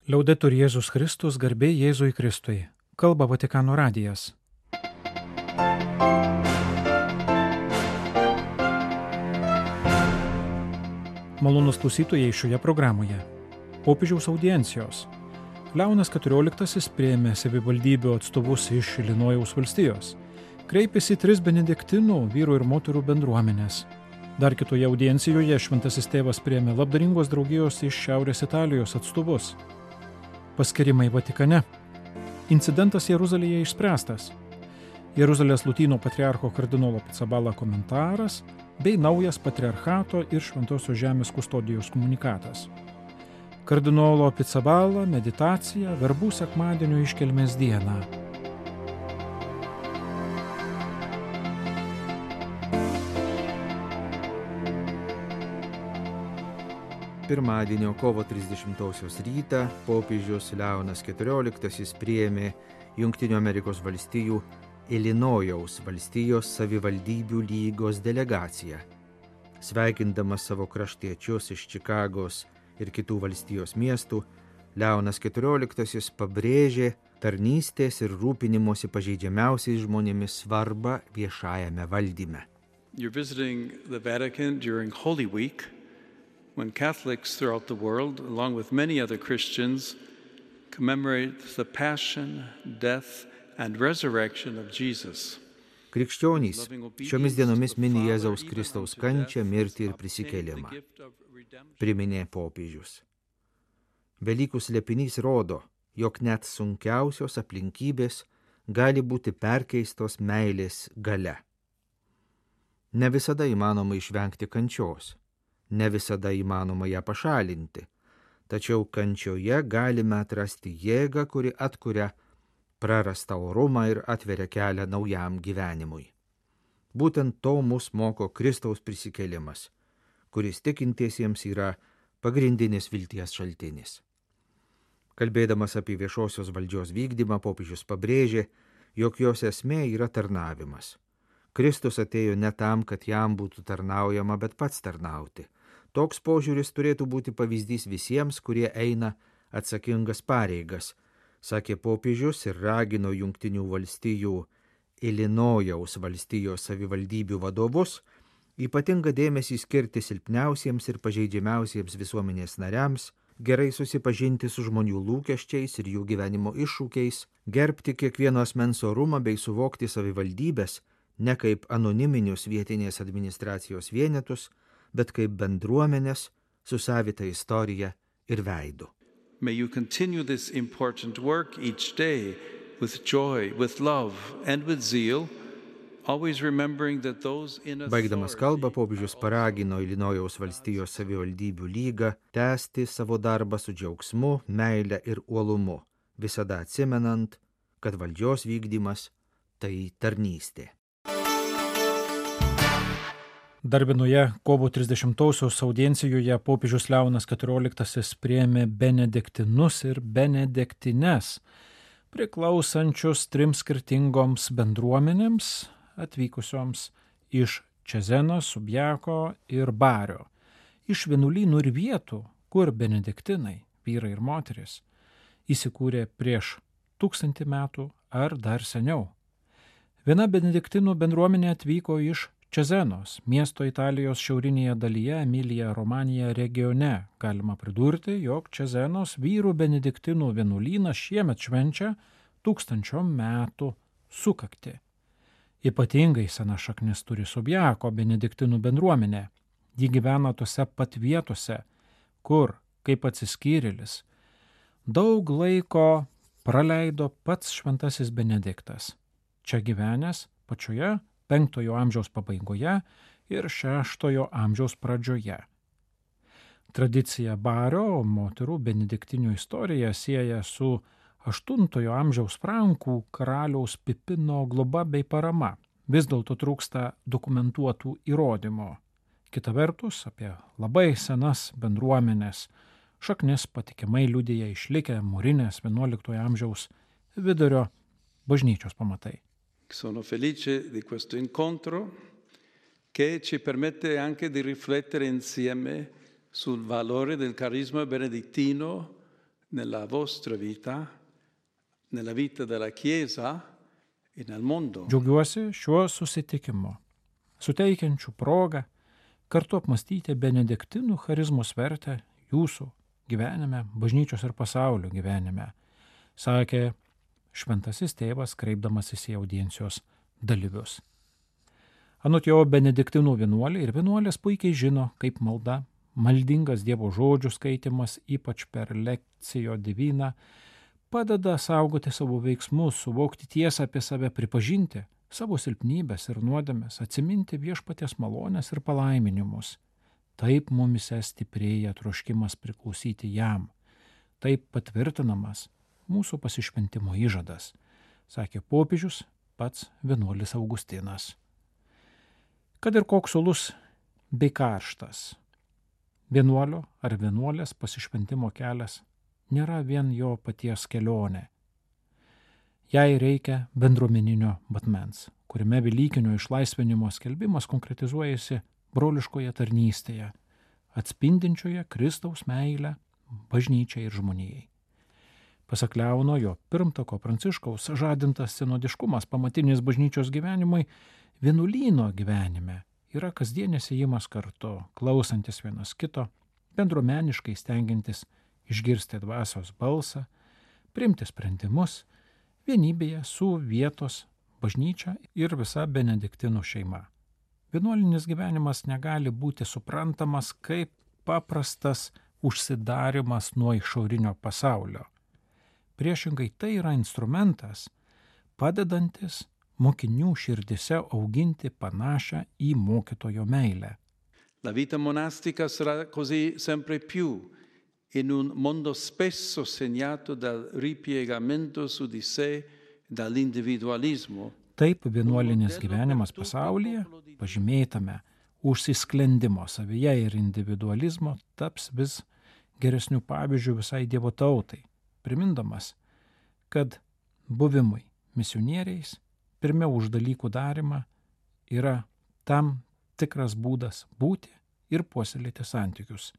Liaudetur Jėzus Kristus, garbė Jėzui Kristui. Kalba Vatikano radijas. Malonūs klausytojai šioje programoje. Popiežiaus audiencijos. Leonas XIV priėmė savivaldybių atstovus iš Ilinojaus valstijos. Kreipėsi 3 benediktinų vyrų ir moterų bendruomenės. Dar kitoje audiencijoje šventasis tėvas priėmė labdaringos draugijos iš Šiaurės Italijos atstovus. Paskirimai Vatikane. Incidentas Jeruzalėje išspręstas. Jeruzalės Lotynų patriarcho kardinolo Pizzaballa komentaras bei naujas patriarchato ir Šventosios žemės kustodijos komunikatas. Kardinolo Pizzaballa meditacija verbų sekmadienio iškelmės dieną. Pirmadienio kovo 30-osios rytą popiežius Leonas XIV priėmė Jungtinių Amerikos valstijų Ilinojaus valstijos savivaldybių lygos delegaciją. Sveikindamas savo kraštiečius iš Čikagos ir kitų valstijos miestų, Leonas XIV pabrėžė tarnystės ir rūpinimosi pažeidžiamiausiais žmonėmis svarbą viešajame valdyme. You're visiting the Vatican during Holy Week, when Catholics throughout the world, along with many other Christians, commemorate the passion, death, and resurrection of Jesus. Krikščionys šiomis dienomis mini Jėzaus Kristaus kančią, mirtį ir prisikėlimą, priminė popiežius. Velykų slėpinys rodo, jog net sunkiausios aplinkybės gali būti perkeistos meilės galia. Ne visada įmanoma išvengti kančios. Ne visada įmanoma ją pašalinti, tačiau kančioje galime atrasti jėgą, kuri atkuria prarastą orumą ir atveria kelią naujam gyvenimui. Būtent to mus moko Kristaus prisikėlimas, kuris tikintiesiems yra pagrindinis vilties šaltinis. Kalbėdamas apie viešosios valdžios vykdymą, popiežius pabrėžė, jog jos esmė yra tarnavimas. Kristus atėjo ne tam, kad jam būtų tarnaujama, bet pats tarnauti. Toks požiūris turėtų būti pavyzdys visiems, kurie eina atsakingas pareigas, sakė popiežius ir ragino Jungtinių valstijų Ilinojaus valstijos savivaldybių vadovus ypatingą dėmesį skirti silpniausiems ir pažeidžiamiausiems visuomenės nariams, gerai susipažinti su žmonių lūkesčiais ir jų gyvenimo iššūkiais, gerbti kiekvieno asmens orumą bei suvokti savivaldybės ne kaip anoniminius vietinės administracijos vienetus, bet kaip bendruomenės su savita istorija ir veidu. May you continue this important work each day with joy, with love and with zeal, always remembering that those in authority. Baigdamas kalbą, popiežius paragino Ilinojaus valstijos savivaldybių lygą tęsti savo darbą su džiaugsmu, meile ir uolumu, visada atsimenant, kad valdžios vykdymas tai tarnystė. Dar vienoje kovo 30-osios audiencijoje popiežius Leonas XIV priėmė benediktinus ir benediktines, priklausančius 3 skirtingoms bendruomenėms, atvykusioms iš Čezeno, Subjako ir Bario, iš vienuolynų ir vietų, kur benediktinai, vyrai ir moteris, įsikūrė prieš 1000 metų ar dar seniau. Viena benediktinų bendruomenė atvyko iš Čezenos, miesto Italijos šiaurinėje dalyje Emilija Romanija regione. Galima pridurti, jog Čezenos vyrų benediktinų vienuolynas šiemet švenčia 1000 metų sukaktį. Ypatingai sena šaknis turi Subjako benediktinų bendruomenė. Ji gyvena tose pat vietose, kur, kaip atsiskyrėlis, daug laiko praleido pats šventasis Benediktas. Čia gyvenęs pačioje 5 amžiaus pabaigoje ir 6 amžiaus pradžioje. Tradicija Bario moterų benediktinių istoriją sieja su 8 amžiaus frankų karaliaus Pipino globa bei parama. Vis dėlto trūksta dokumentuotų įrodymų. Kita vertus, apie labai senas bendruomenės šaknis patikimai liudija išlikę mūrinės 11 amžiaus vidurio bažnyčios pamatai. Sono felice di questo incontro che ci permette anche di riflettere insieme sul valore del carisma benedittino nella vostra vita, nella vita della Chiesa e nel mondo. Džiaugiuosi šiuo susitikimu, suteikiančiu progą kartu apmastyti benediktinų charizmos vertę jūsų gyvenime, bažnyčios ir pasaulio gyvenime, sakė šventasis tėvas, kreipdamasis į audiencijos dalyvius. Anot jo, benediktinų vienuoliai ir vienuolės puikiai žino, kaip malda, maldingas Dievo žodžių skaitimas, ypač per lekcijo diviną, padeda saugoti savo veiksmus, suvokti tiesą apie save, pripažinti savo silpnybės ir nuodėmes, atsiminti viešpaties malonės ir palaiminimus. Taip mumise stiprėja troškimas priklausyti jam. Taip patvirtinamas mūsų pasišventimo įžadas, sakė popiežius pats vienuolis Augustinas. Kad ir koks uolus bei karštas, vienuolio ar vienuolės pasišventimo kelias nėra vien jo paties kelionė. Jai reikia bendruomeninio matmens, kuriame velykinio išlaisvinimo skelbimas konkretizuojasi broliškoje tarnystėje, atspindinčioje Kristaus meilę bažnyčiai ir žmonijai. Pasak Leono, jo pirmtako Pranciškaus žadintas sinodiškumas pamatinis bažnyčios gyvenimui vienuolyno gyvenime yra kasdienis ėjimas kartu, klausantis vienas kito, bendruomeniškai stengiantis išgirsti dvasios balsą, priimti sprendimus vienybėje su vietos bažnyčia ir visa benediktinų šeima. Vienuolinis gyvenimas negali būti suprantamas kaip paprastas užsidarimas nuo išorinio pasaulio. Priešingai, tai yra instrumentas, padedantis mokinių širdise auginti panašią į mokytojo meilę. La vita monastica sarà così sempre più in un mondo spesso segnato dal ripiegamento su di sé, dall'individualismo. Taip vienuolinis gyvenimas pasaulyje, pažymėtame užsisklendimo savyje ir individualizmo, taps vis geresnių pavyzdžių visai Dievo tautai, primindamas, kad buvimui misionieriais pirmiau už dalykų darimą yra tam tikras būdas būti ir puoselėti santykius.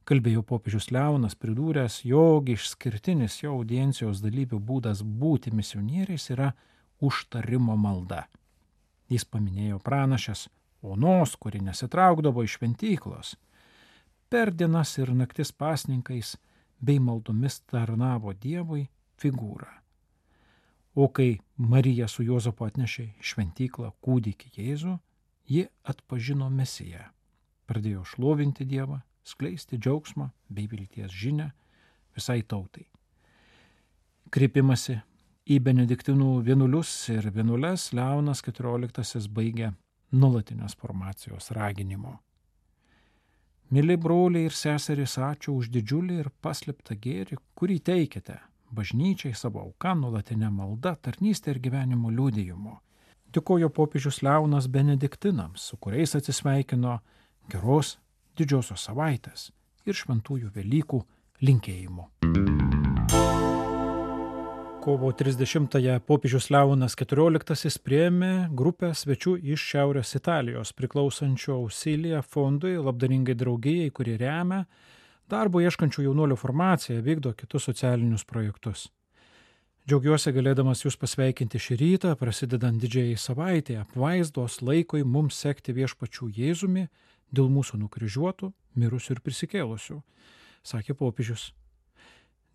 Kalbėjo popiežius Leonas, pridūręs, jog išskirtinis jo audiencijos dalyvių būdas būti misionieriais yra užtarimo malda. Jis paminėjo pranašės Onos, kuri nesitraukdavo iš šventyklos. Per dienas ir naktis pasninkais bei maldomis tarnavo Dievui figūrą. O kai Marija su Juozapu atnešė šventyklą kūdikį Jėzų, ji atpažino Mesiją. Pradėjo šlovinti Dievą, skleisti džiaugsmą bei vilties žinią visai tautai. Kreipimasi į benediktinų vienuolius ir vienuoles Leonas XIV baigė nuolatinės formacijos raginimo. Mili broliai ir seserys, ačiū už didžiulį ir paslėptą gėrį, kurį teikiate bažnyčiai savo auką, nuolatinę maldą, tarnystę ir gyvenimo liudijimu. Dėkojo popiežius Leonas benediktinams, su kuriais atsisveikino geros didžiosios savaitės ir šventųjų Velykų linkėjimų. Kovo 30-ąją popiežius Leonas XIV priėmė grupę svečių iš Šiaurės Italijos priklausančio Ausilija fondui, labdaringai draugijai, kuri remia darbo ieškančių jaunuolių formaciją, vykdo kitus socialinius projektus. Džiaugiuosi galėdamas jūs pasveikinti šį rytą, prasidedant didžiajai savaitėje, apvaizdos laikui mums sekti viešpačių Jėzumi dėl mūsų nukryžiuotų, mirusių ir prisikėlusių, sakė popiežius.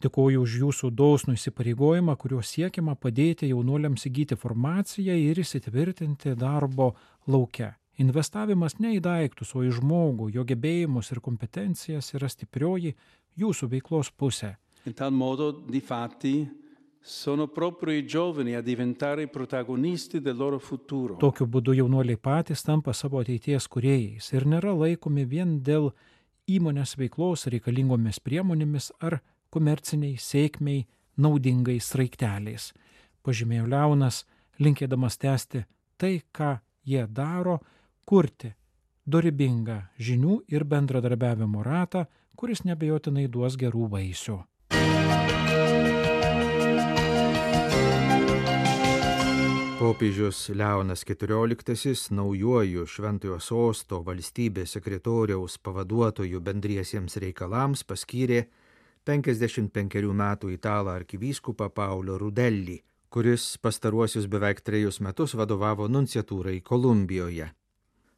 Dėkoju už jūsų dosnų įsipareigojimą, kuriuo siekiama padėti jaunuoliams įgyti formaciją ir įsitvirtinti darbo lauke. Investavimas ne į daiktus, o į žmogų, jo gebėjimus ir kompetencijas yra stiprioji jūsų veiklos pusė. In tal modo, difatti, sono proprio i giovani a diventare protagonisti del loro futuro. Tokiu būdu jaunuoliai patys tampa savo ateities kūrėjais ir nėra laikomi vien dėl įmonės veiklos reikalingomis priemonėmis ar komerciniai sėkmiai naudingais sraigteliais. Pažymėjo Leonas, linkėdamas tęsti tai, ką jie daro, kurti dorybingą žinių ir bendradarbiavimo ratą, kuris neabejotinai duos gerų vaisių. Popiežius Leonas XIV naujuoju Šventojo Sosto valstybės sekretoriaus pavaduotojų bendriesiems reikalams paskyrė 55 metų italą arkivyskupą Paulio Rudelli, kuris pastaruosius beveik 3 metus vadovavo nunciatūrai Kolumbijoje.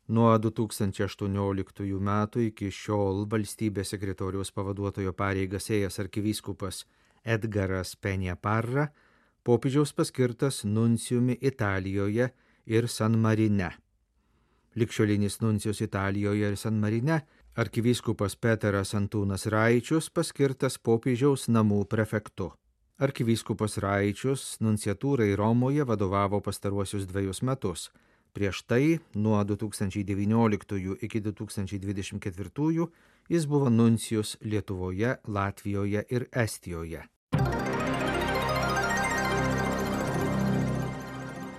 Nuo 2018 metų iki šiol valstybės sekretoriaus pavaduotojo pareigas ėjęs arkivyskupas Edgaras Peña Parra popiežiaus paskirtas nuncijumi Italijoje ir San Marine. Ligšiolinis nuncijus Italijoje ir San Marine arkivyskupas Peteras Antūnas Raičius paskirtas popiežiaus namų prefektu. Arkivyskupas Raičius nunciatūrai Romoje vadovavo pastaruosius 2 metus. Prieš tai, nuo 2019 iki 2024, jis buvo nuncijus Lietuvoje, Latvijoje ir Estijoje.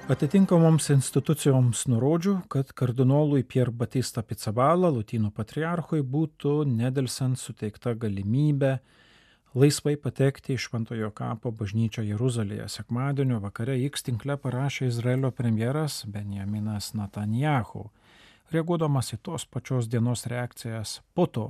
Atitinkamoms institucijoms nurodžiu, kad kardinolui Pier Batista Pizzaballa, Lotynų patriarchui, būtų nedelsant suteikta galimybė laisvai patekti į Šventojo kapo bažnyčią Jeruzalėje. Sekmadienio vakare X tinkle parašė Izraelio premjeras Benjaminas Netanyahu, reaguodamas į tos pačios dienos reakcijas po to,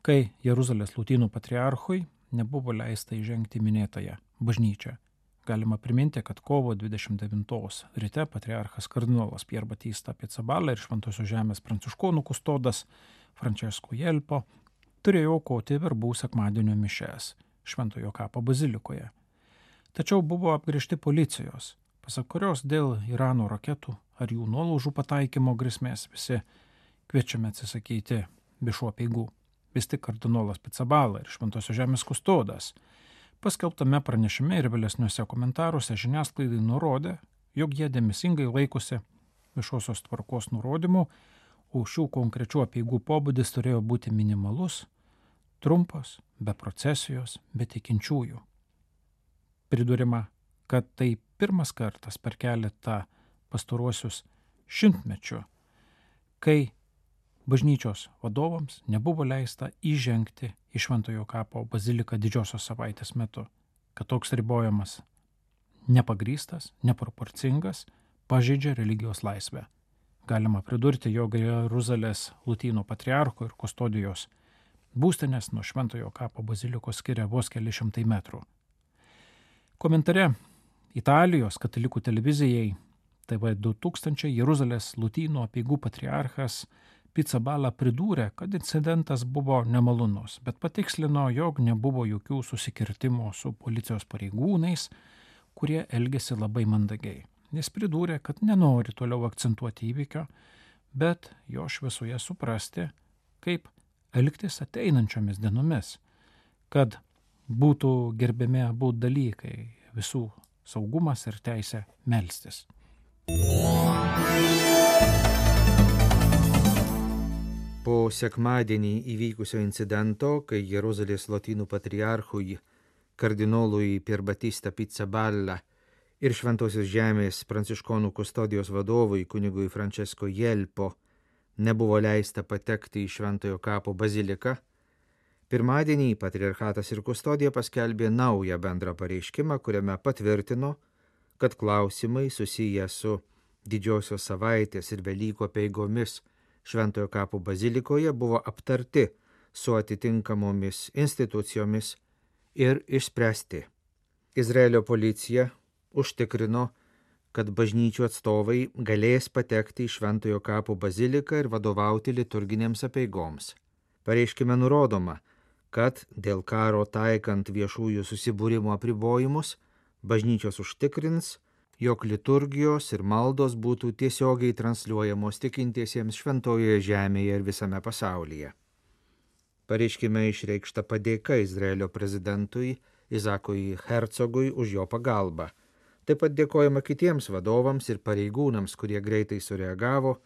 kai Jeruzalės Lotynų patriarchui nebuvo leista įžengti minėtąją bažnyčią. Galima priminti, kad kovo 29 ryte patriarchas kardinolas Pier Batista Pizzaballa ir Šventosios žemės pranciškonų kustodas Francesco Jelpo turėjo aukoti verbų sekmadienio mišes Šventojo kapo bazilikoje. Tačiau buvo apgręžti policijos, pasak kurios dėl Irano raketų ar jų nuolaužų pataikymo grėsmės visi kviečiame atsisakyti viešų apeigų. Vis tik kardinolas Pizzaballa ir Šventosios žemės kustodas paskelbtame pranešime ir vėlesniuose komentaruose žiniasklaidai nurodė, jog jie dėmesingai laikosi viešosios tvarkos nurodymų, o šių konkrečių apeigų pobūdis turėjo būti minimalus, trumpas, be procesijos, be tikinčiųjų. Pridurima, kad tai pirmas kartas per keletą pastaruosius šimtmečių, kai bažnyčios vadovams nebuvo leista įžengti į Šventojo kapo baziliką Didžiosios savaitės metu, kad toks ribojimas nepagrįstas, neproporcingas, pažeidžia religijos laisvę. Galima pridurti, jog Jeruzalės Lotynų patriarcho ir kustodijos būstinės nuo Šventojo kapo bazilikos skiria vos keli šimtai metrų. Komentare Italijos katalikų televizijai TV2000 Jeruzalės Lotynų apeigų patriarchas Pizzaballa pridūrė, kad incidentas buvo nemalonus, bet patikslino, jog nebuvo jokių susikirtimų su policijos pareigūnais, kurie elgėsi labai mandagiai. Jis pridūrė, kad nenori toliau akcentuoti įvykio, bet jo šviesoje suprasti, kaip elgtis ateinančiomis dienomis, kad būtų gerbiami abu dalykai – visų saugumas ir teisė melstis. Po sekmadienį įvykusio incidento, kai Jeruzalės Lotynų patriarchui kardinolui Pier Batista Pizzaballa ir Šventosios žemės pranciškonų kustodijos vadovui kunigui Francesco Jelpo nebuvo leista patekti į Šventojo kapo baziliką, pirmadienį patriarchatas ir kustodija paskelbė naują bendrą pareiškimą, kuriame patvirtino, kad klausimai susiję su Didžiosios savaitės ir Velykų apeigomis Šventojo kapo bazilikoje buvo aptarti su atitinkamomis institucijomis ir išspręsti. Izraelio policija užtikrino, kad bažnyčių atstovai galės patekti į Šventojo kapo baziliką ir vadovauti liturginėms apeigoms. Pareiškime nurodoma, kad dėl karo taikant viešųjų susibūrimo apribojimus, bažnyčios užtikrins, jog liturgijos ir maldos būtų tiesiogiai transliuojamos tikintiesiems Šventojoje žemėje ir visame pasaulyje. Pareiškime išreikšta padėka Izraelio prezidentui Izakui Herzogui už jo pagalbą. Taip pat dėkojama kitiems vadovams ir pareigūnams, kurie greitai sureagavo,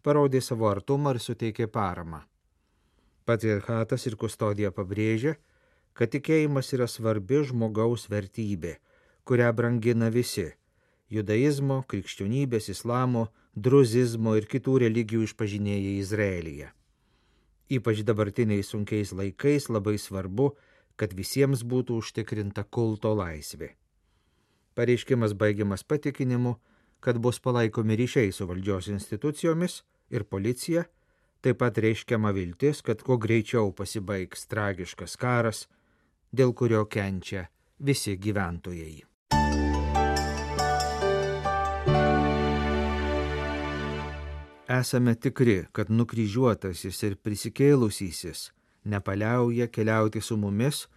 parodė savo artumą ir suteikė paramą. Patriarchatas ir kustodija pabrėžia, kad tikėjimas yra svarbi žmogaus vertybė, kurią brangina visi – judaizmo, krikščionybės, islamo, druzizmo ir kitų religijų išpažinėjai Izraelyje. Ypač dabartiniais sunkiais laikais labai svarbu, kad visiems būtų užtikrinta kulto laisvė. Pareiškimas baigiamas patikinimu, kad bus palaikomi ryšiai su valdžios institucijomis ir policija, taip pat reiškiama viltis, kad kuo greičiau pasibaigs tragiškas karas, dėl kurio kenčia visi gyventojai. Esame tikri, kad nukryžiuotasis ir prisikėlusysis nepaliauja keliauti su mumis,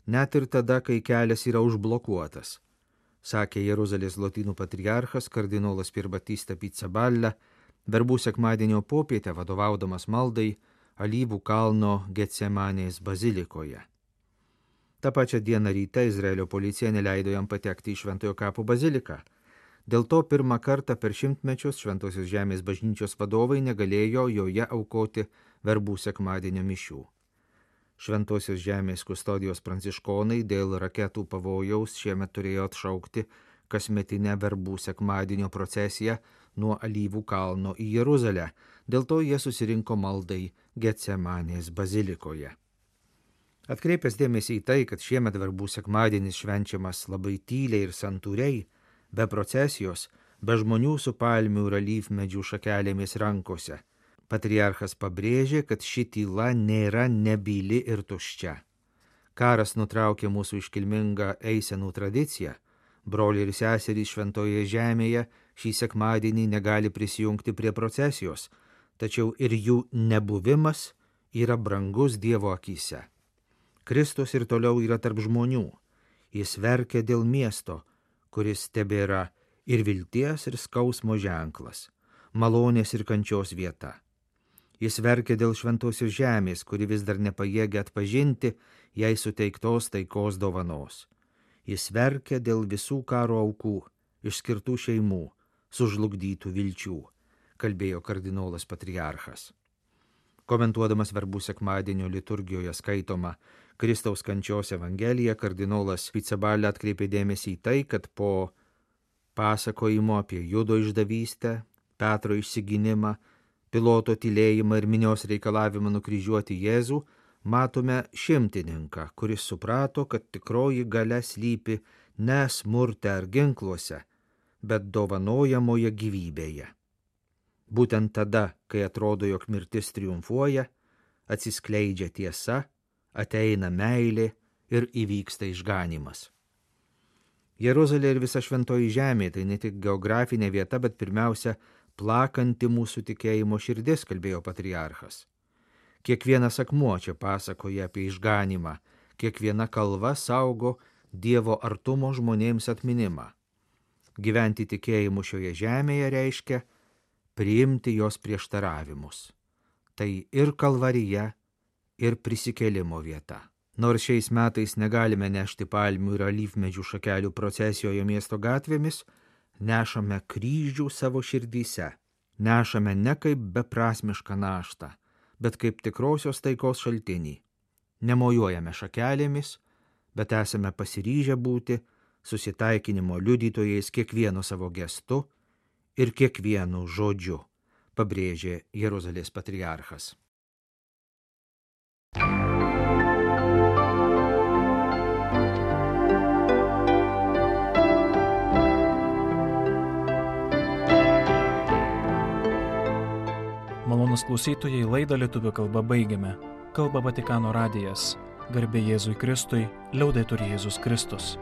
net ir tada, kai kelias yra užblokuotas, sakė Jeruzalės lotynų patriarchas kardinolas Pier Battista Pizzaballa verbų sekmadienio popietę vadovaudamas maldai Alyvų kalno Getsemanės bazilikoje. Ta pačia diena ryte Izraelio policija neleido jam patekti į Šventojo kapo baziliką. Dėl to pirmą kartą per šimtmečius Šventosios žemės bažnyčios vadovai negalėjo joje aukoti verbų sekmadienio mišių. Šventosios žemės kustodijos pranciškonai dėl raketų pavojaus šiemet turėjo atšaukti kasmetinę verbų sekmadienio procesiją nuo Alyvų kalno į Jeruzalę, dėl to jie susirinko maldai Getsemanės bazilikoje. Atkreipęs dėmesį į tai, kad šiemet verbų sekmadienis švenčiamas labai tyliai ir santūriai, be procesijos, be žmonių su palmių ir alyvmedžių šakelėmis rankose, patriarchas pabrėžė, kad ši tyla nėra nebyli ir tuščia. Karas nutraukė mūsų iškilmingą eisenų tradiciją. Broliai ir seserys Šventoje žemėje šį sekmadienį negali prisijungti prie procesijos, tačiau ir jų nebuvimas yra brangus Dievo akyse. Kristus ir toliau yra tarp žmonių. Jis verkia dėl miesto, kuris tebėra ir vilties ir skausmo ženklas, malonės ir kančios vieta. Jis verkia dėl Šventosios žemės, kuri vis dar nepajėgia atpažinti jai suteiktos taikos dovanos. Jis verkia dėl visų karo aukų, išskirtų šeimų, sužlugdytų vilčių, kalbėjo kardinolas patriarchas. Komentuodamas verbų sekmadienio liturgijoje skaitomą Kristaus kančios evangeliją, kardinolas Pizzaballa atkreipė dėmesį į tai, kad po pasakojimo apie Judo išdavystę, Petro išsigynimą, Piloto tylėjimą ir minios reikalavimą nukryžiuoti Jėzų, matome šimtininką, kuris suprato, kad tikroji galia slypi ne smurte ar ginkluose, bet dovanojamoje gyvybėje. Būtent tada, kai atrodo, jog mirtis triumfuoja, atsiskleidžia tiesa, ateina meilė ir įvyksta išganymas. Jeruzalė ir visa Šventoji žemė tai ne tik geografinė vieta, bet pirmiausia plakanti mūsų tikėjimo širdis, kalbėjo patriarchas. Kiekvienas akmuo čia pasakoja apie išganymą, kiekviena kalva saugo Dievo artumo žmonėms atminimą. Gyventi tikėjimu šioje žemėje reiškia priimti jos prieštaravimus. Tai ir kalvarija, ir prisikėlimo vieta. Nors šiais metais negalime nešti palmių ir alyvmedžių šakelių procesijoje miesto gatvėmis, nešame kryžių savo širdyse. Nešame ne kaip beprasmišką naštą, bet kaip tikrosios taikos šaltinį. Nemojuojame šakelėmis, bet esame pasiryžę būti susitaikinimo liudytojais kiekvienu savo gestu ir kiekvienu žodžiu, pabrėžė Jeruzalės patriarchas. Malonūs klausytojai, laidą lietuvių kalba baigiame. Kalba Vatikano radijas. Garbė Jėzui Kristui, liaudetur Jėzus Kristus.